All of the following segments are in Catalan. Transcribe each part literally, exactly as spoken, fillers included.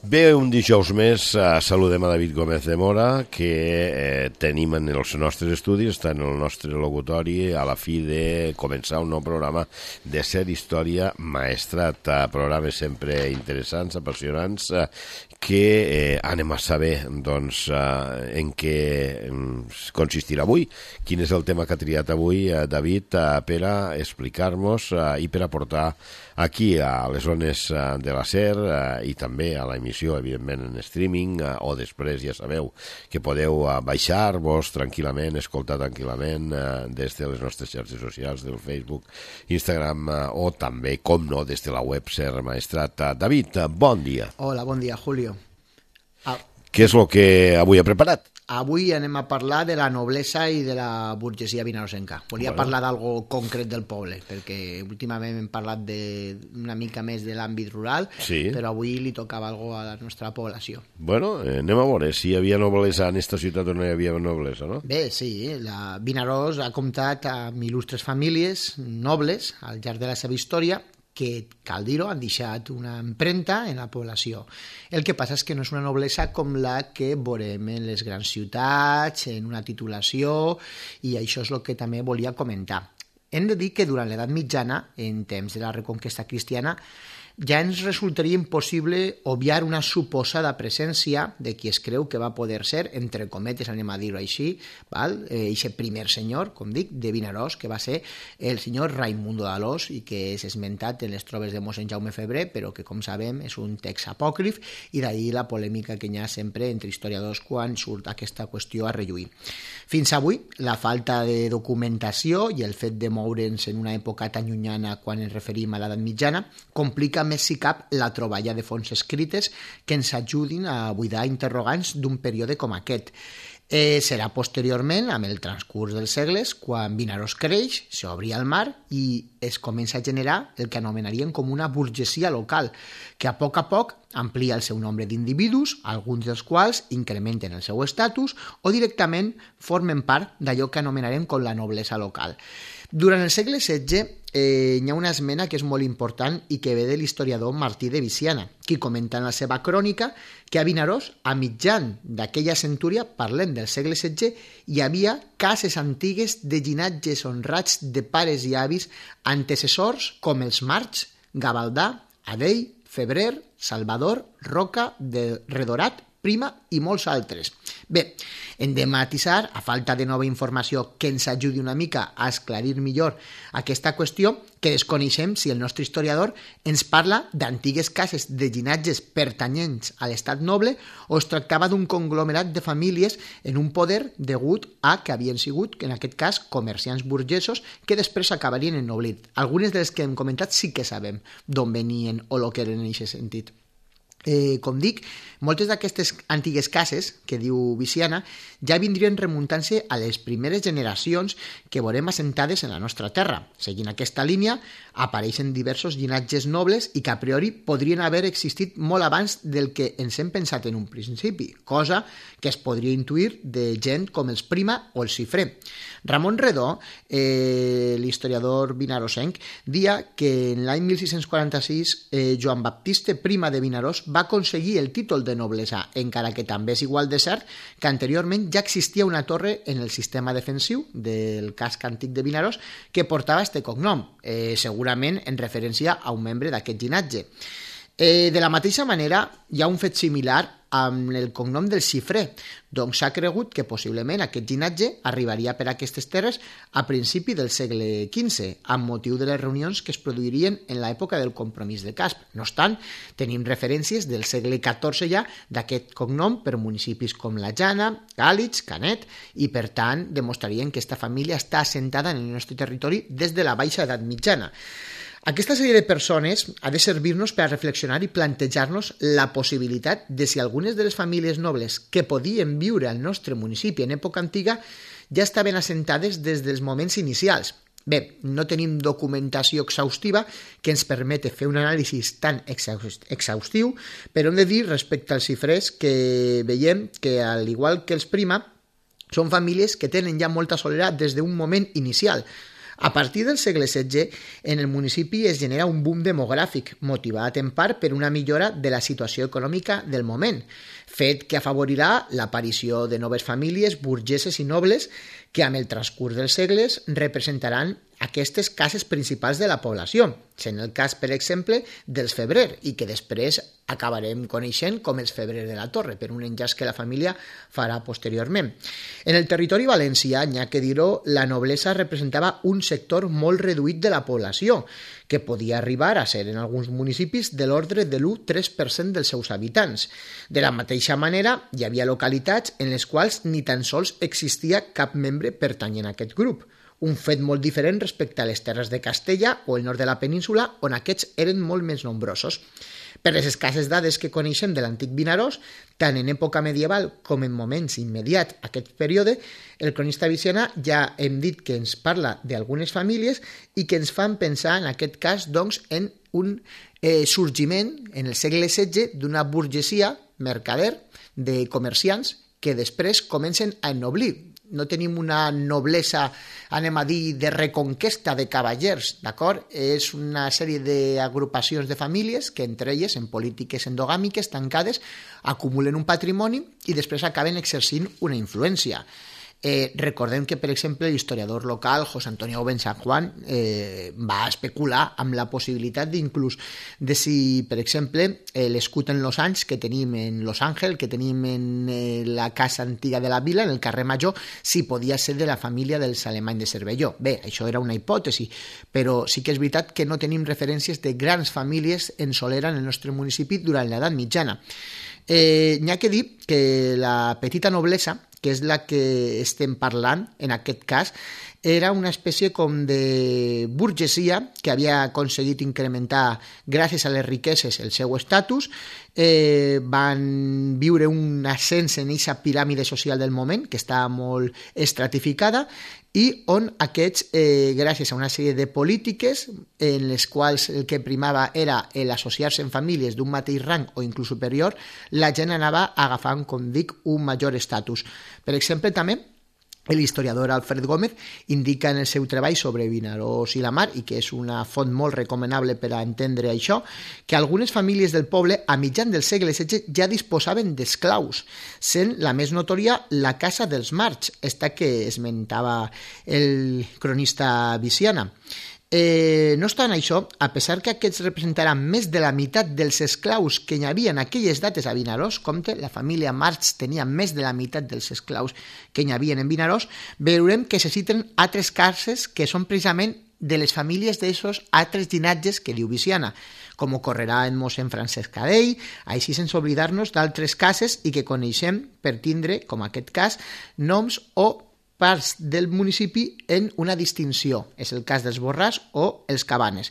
Bé, un dijous més eh, saludem a David Gómez de Mora, que eh, tenim en els nostres estudis, està en el nostre locutori a la fi de començar un nou programa de Ser Història Maestrat, eh, programes sempre interessants, apassionants, eh, que eh, anem a saber doncs, eh, en què eh, consistirà avui, quin és el tema que ha triat avui eh, David eh, per a explicar-nos eh, i per aportar aquí a les zones eh, de la SER eh, i també a l'emissió, evidentment, en streaming, eh, o després ja sabeu que podeu eh, baixar-vos tranquil·lament, escoltar tranquil·lament eh, des de les nostres xarxes socials, del Facebook, Instagram, eh, o també, com no, des de la web SER Maestrat. David, eh, bon dia. Hola, bon dia, Julio. Ah, Què és el que avui ha preparat? avui anem a parlar de la noblesa i de la burgesia vinarosenca. Volia Bueno. parlar d'algo concret del poble, perquè últimament hem parlat de, una mica més de l'àmbit rural, Sí. però avui li tocava algo a la nostra població. Bueno, eh, anem a veure si hi havia noblesa en esta ciutat o no hi havia noblesa, no? Bé, sí, la Vinaròs ha comptat amb il·lustres famílies nobles al llarg de la seva història que, cal dir-ho, han deixat una empremta en la població. El que passa és que no és una noblesa com la que veurem en les grans ciutats, en una titulació, i això és el que també volia comentar. Hem de dir que durant l'edat mitjana, en temps de la reconquesta cristiana, ja ens resultaria impossible obviar una suposada presència de qui es creu que va poder ser, entre cometes, anem a dir-ho així, val? Eh, eixe primer senyor, com dic, de Vinaròs, que va ser el senyor Raimundo d'Alòs i que és esmentat en les trobes de mossèn Jaume Febrer, però que, com sabem, és un text apòcrif, i d'ahir la polèmica que hi ha sempre entre historiadors quan surt aquesta qüestió a relluir. Fins avui, la falta de documentació i el fet de moure'ns en una època tan llunyana quan ens referim a l'edat mitjana complica més si cap la troballa de fonts escrites que ens ajudin a buidar interrogants d'un període com aquest. Eh, serà posteriorment, amb el transcurs dels segles, quan Vinaròs creix, s'obri al mar i es comença a generar el que anomenaríem com una burgesia local, que a poc a poc amplia el seu nombre d'individus, alguns dels quals incrementen el seu estatus o directament formen part d'allò que anomenarem com la noblesa local. Durant el segle setze eh, hi ha una esmena que és molt important i que ve de l'historiador Martí de Viciana, qui comenta en la seva crònica que a Vinaròs, a mitjan d'aquella centúria, parlem del segle setze, hi havia cases antigues de llinatges honrats de pares i avis antecessors com els March, Gavaldà, Adell, Febrer, Salvador, Roca, de Redorat, Prima i molts altres. Bé, hem de matisar, a falta de nova informació que ens ajudi una mica a esclarir millor aquesta qüestió, que desconeixem si el nostre historiador ens parla d'antigues cases de llinatges pertanyents a l'estat noble o es tractava d'un conglomerat de famílies en un poder degut a que havien sigut, en aquest cas, comerciants burgesos que després acabarien ennoblit. Algunes de les que hem comentat sí que sabem d'on venien o el que eren en aquest sentit. Eh, com dic, moltes d'aquestes antigues cases, que diu Viciana, ja vindrien remuntant-se a les primeres generacions que veurem assentades en la nostra terra. Seguint aquesta línia, apareixen diversos llinatges nobles i que a priori podrien haver existit molt abans del que ens hem pensat en un principi, cosa que es podria intuir de gent com els Prima o els Cifré. Ramon Redó, eh, l'historiador vinarosenc, dia que en l'any mil sis-cents quaranta-sis eh, Joan Baptista Prima de Vinaròs va aconseguir el títol de noblesa, encara que també és igual de cert que anteriorment ja existia una torre en el sistema defensiu del casc antic de Vinaròs que portava este cognom, eh, segurament en referència a un membre d'aquest llinatge. Eh, de la mateixa manera, hi ha un fet similar amb el cognom del Xifré, doncs s'ha cregut que possiblement aquest llinatge arribaria per aquestes terres a principi del segle quinze, amb motiu de les reunions que es produirien en l'època del Compromís de Casp. No obstant, tenim referències del segle catorze ja d'aquest cognom per municipis com la Jana, Gàlitx, Canet, i per tant demostrarien que aquesta família està assentada en el nostre territori des de la baixa edat mitjana. Aquesta sèrie de persones ha de servir-nos per a reflexionar i plantejar-nos la possibilitat de si algunes de les famílies nobles que podien viure al nostre municipi en època antiga ja estaven assentades des dels moments inicials. Bé, no tenim documentació exhaustiva que ens permeti fer un anàlisi tan exhaustiu, però hem de dir respecte als xifrers que veiem que, al igual que els Prima, són famílies que tenen ja molta soledat des d'un moment inicial. A partir del segle setze, en el municipi es genera un boom demogràfic, motivat en part per una millora de la situació econòmica del moment, fet que afavorirà l'aparició de noves famílies burgeses i nobles que amb el transcurs dels segles representaran aquestes cases principals de la població, sent el cas, per exemple, dels Febrer, i que després acabarem coneixent com els Febrer de la Torre, per un enllaç que la família farà posteriorment. En el territori valencià, n'hi ha que dir-ho, la noblesa representava un sector molt reduït de la població, que podia arribar a ser en alguns municipis de l'ordre de l'u coma tres per cent dels seus habitants. De la mateixa manera, hi havia localitats en les quals ni tan sols existia cap membre pertanyent a aquest grup, un fet molt diferent respecte a les terres de Castella o el nord de la península, on aquests eren molt més nombrosos. Per les escasses dades que coneixem de l'antic Vinaròs, tant en època medieval com en moments immediats a aquest període, el cronista Viciana ja hem dit que ens parla d'algunes famílies i que ens fan pensar, en aquest cas, doncs, en un eh, sorgiment en el segle setze d'una burgesia mercader de comerciants que després comencen a ennoblir. No tenim una noblesa, anem a dir, de reconquesta de cavallers, d'acord? És una sèrie d'agrupacions de famílies que entre elles, en polítiques endogàmiques tancades, acumulen un patrimoni i després acaben exercint una influència. Eh, recordem que, per exemple, l'historiador local José Antonio Ben San Juan eh, va especular amb la possibilitat d'inclús de si, per exemple, eh, l'escut en Los Anys que tenim en Los Ángeles, que tenim en eh, la casa antiga de la vila, en el carrer Major, si podia ser de la família dels Alemany de Cervelló. Bé, això era una hipòtesi, però sí que és veritat que no tenim referències de grans famílies en solera en el nostre municipi durant l'edat mitjana. Eh, n'hi ha que dir que la petita noblesa, que és la que estem parlant en aquest cas, era una espècie com de burgesia que havia aconseguit incrementar gràcies a les riqueses el seu estatus, eh, van viure un ascens en aquesta piràmide social del moment, que estava molt estratificada, i on aquests, eh, gràcies a una sèrie de polítiques en les quals el que primava era l'associar-se en famílies d'un mateix rang o inclús superior, la gent anava agafant, com dic, un major estatus. Per exemple, també, l'historiador Alfred Gómez indica en el seu treball sobre Vinaròs i la Mar, i que és una font molt recomanable per a entendre això, que algunes famílies del poble a mitjan del segle setze ja disposaven d'esclaus, sent la més notòria la Casa dels Marcs, esta que esmentava el cronista Viciana. Eh, no obstant això, a pesar que aquests representaran més de la meitat dels esclaus que hi havia en aquelles dates a Vinaròs, compte, la família March tenia més de la meitat dels esclaus que hi havia en Vinaròs, veurem que se citen altres cases que són precisament de les famílies d'aquests altres llinatges que diu Viciana, com ocorrerà en mossèn Francesc Cadell, així sense oblidar-nos d'altres cases i que coneixem per tindre, com aquest cas, noms o parts del municipi en una distinció. És el cas dels Borràs o els Cabanes.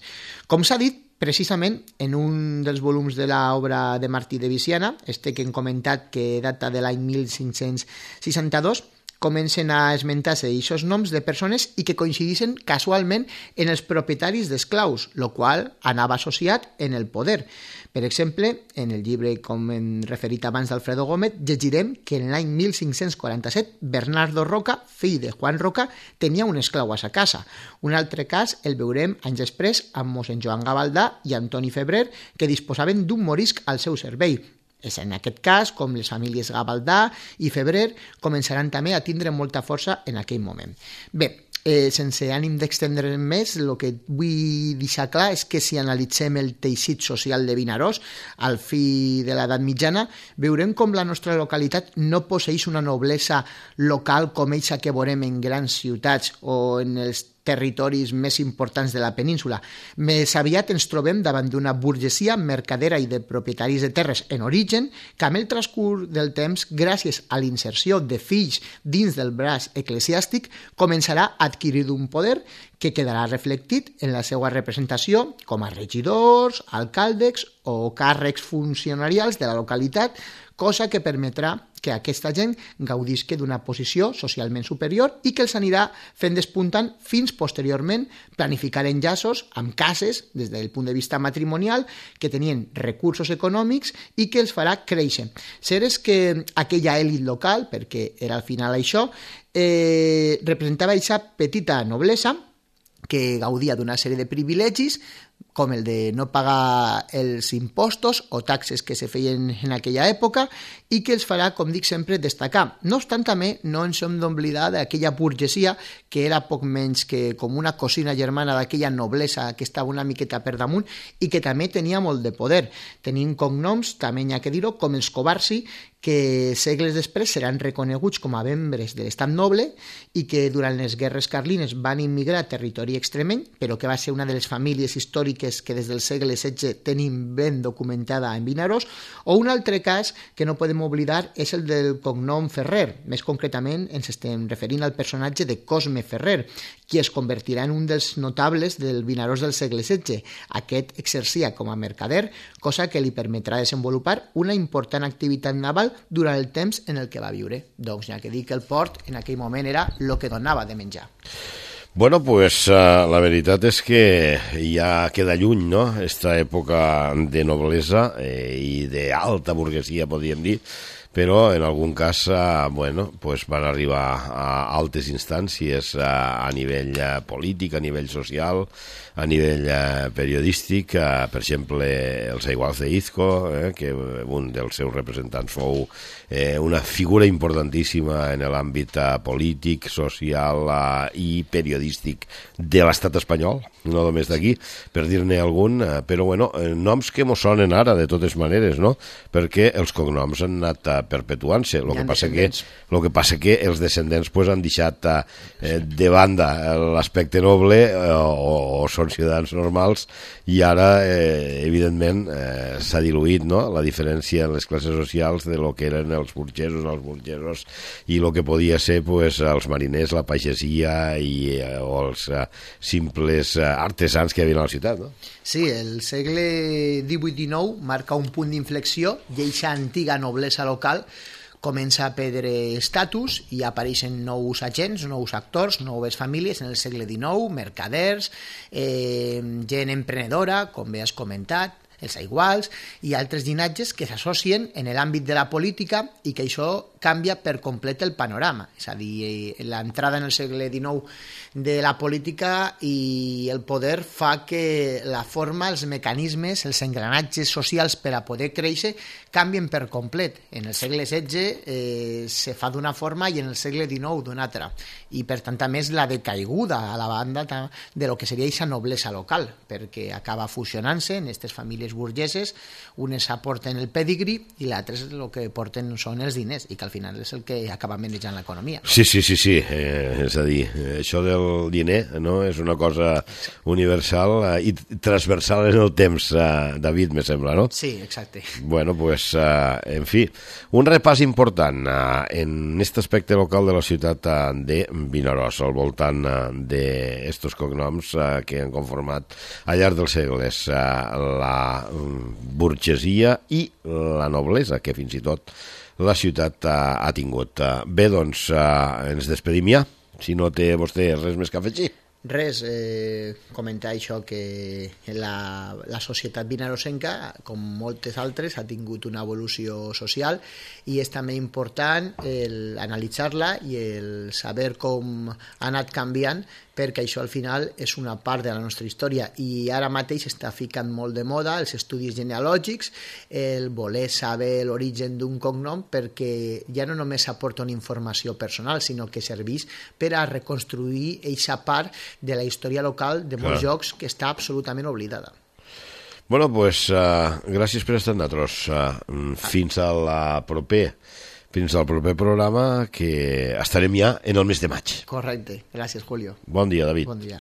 Com s'ha dit, precisament en un dels volums de l'obra de Martí de Viciana, este que hem comentat que data de l'any mil cinc-cents seixanta-dos, comencen a esmentar-se aquests noms de persones i que coincideixen casualment en els propietaris d'esclaus, el qual anava associat en el poder. Per exemple, en el llibre, com hem referit abans d'Alfredo Gómez, llegirem que en l'any mil cinc-cents quaranta-set Bernardo Roca, fill de Juan Roca, tenia un esclau a sa casa. Un altre cas el veurem anys després amb mossèn Joan Gavaldà i Antoni Febrer, que disposaven d'un morisc al seu servei. És en aquest cas com les famílies Gavaldà i Febrer començaran també a tindre molta força en aquell moment. Bé, eh, sense ànim d'extendre'n més, el que vull deixar clar és que si analitzem el teixit social de Vinaròs al fi de l'edat mitjana, veurem com la nostra localitat no posseeix una noblesa local com eixa que veurem en grans ciutats o en els territoris més importants de la península. Més aviat ens trobem davant d'una burgesia mercadera i de propietaris de terres en origen que amb el transcurs del temps, gràcies a l'inserció de fills dins del braç eclesiàstic, començarà a adquirir un poder que quedarà reflectit en la seva representació com a regidors, alcaldes o càrrecs funcionarials de la localitat, cosa que permetrà que aquesta gent gaudisca d'una posició socialment superior i que els anirà fent despuntant fins posteriorment planificar enllaços amb cases des del punt de vista matrimonial que tenien recursos econòmics i que els farà créixer. Cert és que aquella èlit local, perquè era al final això, eh, representava aquesta petita noblesa que gaudia d'una sèrie de privilegis, com el de no pagar els impostos o taxes que se feien en aquella època i que els farà, com dic sempre, destacar. No obstant, també no ens hem d'oblidar d'aquella burgesia que era poc menys que com una cosina germana d'aquella noblesa que estava una miqueta per damunt i que també tenia molt de poder. Tenint cognoms, també n'hi ha que dir-ho, com els Covarsi, que segles després seran reconeguts com a membres de l'estat noble i que durant les guerres carlines van immigrar a territori extremeny, però que va ser una de les famílies històriques que des del segle setze tenim ben documentada en Vinaròs, o un altre cas que no podem oblidar és el del cognom Ferrer. Més concretament ens estem referint al personatge de Cosme Ferrer, qui es convertirà en un dels notables del Vinaròs del segle setze. Aquest exercia com a mercader, cosa que li permetrà desenvolupar una important activitat naval durant el temps en el que va viure. Doncs ja que dir que el port en aquell moment era el que donava de menjar. Bueno, pues uh, la veritat és que ja queda lluny, no?, esta època de noblesa eh, i d'alta burguesia, podríem dir, però en algun cas uh, bueno, pues van arribar a altes instàncies uh, a nivell uh, polític, a nivell social, a nivell uh, periodístic, uh, per exemple, els Aiguals de Izco, eh, que un dels seus representants fou eh, una figura importantíssima en l'àmbit uh, polític, social uh, i periodístic de l'estat espanyol, no només d'aquí, per dir-ne algun, uh, però bueno, noms que mos sonen ara de totes maneres, no?, perquè els cognoms han anat uh, perpetuant-se. El que passa que el que passa que els descendents pues, han deixat eh, de banda l'aspecte noble eh, o, o són ciutadans normals i ara, eh, evidentment, eh, s'ha diluït, no?, la diferència en les classes socials de lo que eren els burgesos, els burgesos i el que podia ser pues, els mariners, la pagesia i, eh, o els eh, simples eh, artesans que hi havia a la ciutat, no? Sí, el segle divuit dinou marca un punt d'inflexió i aquesta antiga noblesa local comença a perdre estatus i apareixen nous agents, nous actors, noves famílies en el segle dinou, mercaders, eh, gent emprenedora, com bé has comentat, els Aiguals i altres llinatges que s'associen en l'àmbit de la política i que això canvia per complet el panorama. És a dir, l'entrada en el segle dinou de la política i el poder fa que la forma, els mecanismes, els engranatges socials per a poder créixer canvien per complet. En el segle setze eh, se fa d'una forma i en el segle dinou d'una altra. I per tant també és la decaiguda a la banda de lo que seria aquesta noblesa local, perquè acaba fusionant-se en aquestes famílies burgeses, unes aporten el pedigree i l'altres el que porten són els diners i que al final és el que acaba manejant l'economia. Sí, sí, sí, sí. Eh, és a dir, això del diner no és una cosa universal eh, i transversal en el temps, eh, David, me sembla, no? Sí, exacte. Bueno, pues, eh, en fi, un repàs important eh, en aquest aspecte local de la ciutat eh, de Vinaròs, al voltant eh, d'estos cognoms eh, que han conformat al llarg dels segles eh, la burgesia i la noblesa, que fins i tot la ciutat ha, ha tingut. Bé, doncs, eh, ens despedim ja, si no té vostè res més que afegir. Res, eh, comentar això que la, la societat vinarosenca, com moltes altres, ha tingut una evolució social i és també important el analitzar-la i el saber com ha anat canviant, perquè això al final és una part de la nostra història i ara mateix està ficant molt de moda els estudis genealògics, el voler saber l'origen d'un cognom, perquè ja no només aporta una informació personal, sinó que serveix per a reconstruir aquesta part de la història local de molts Clar. llocs que està absolutament oblidada. Bueno, pues, uh, gràcies per estar amb nosaltres. Uh, fins a la proper Fins al proper programa, que estarem ja en el mes de maig. Correcte. Gràcies, Julio. Bon dia, David. Bon dia.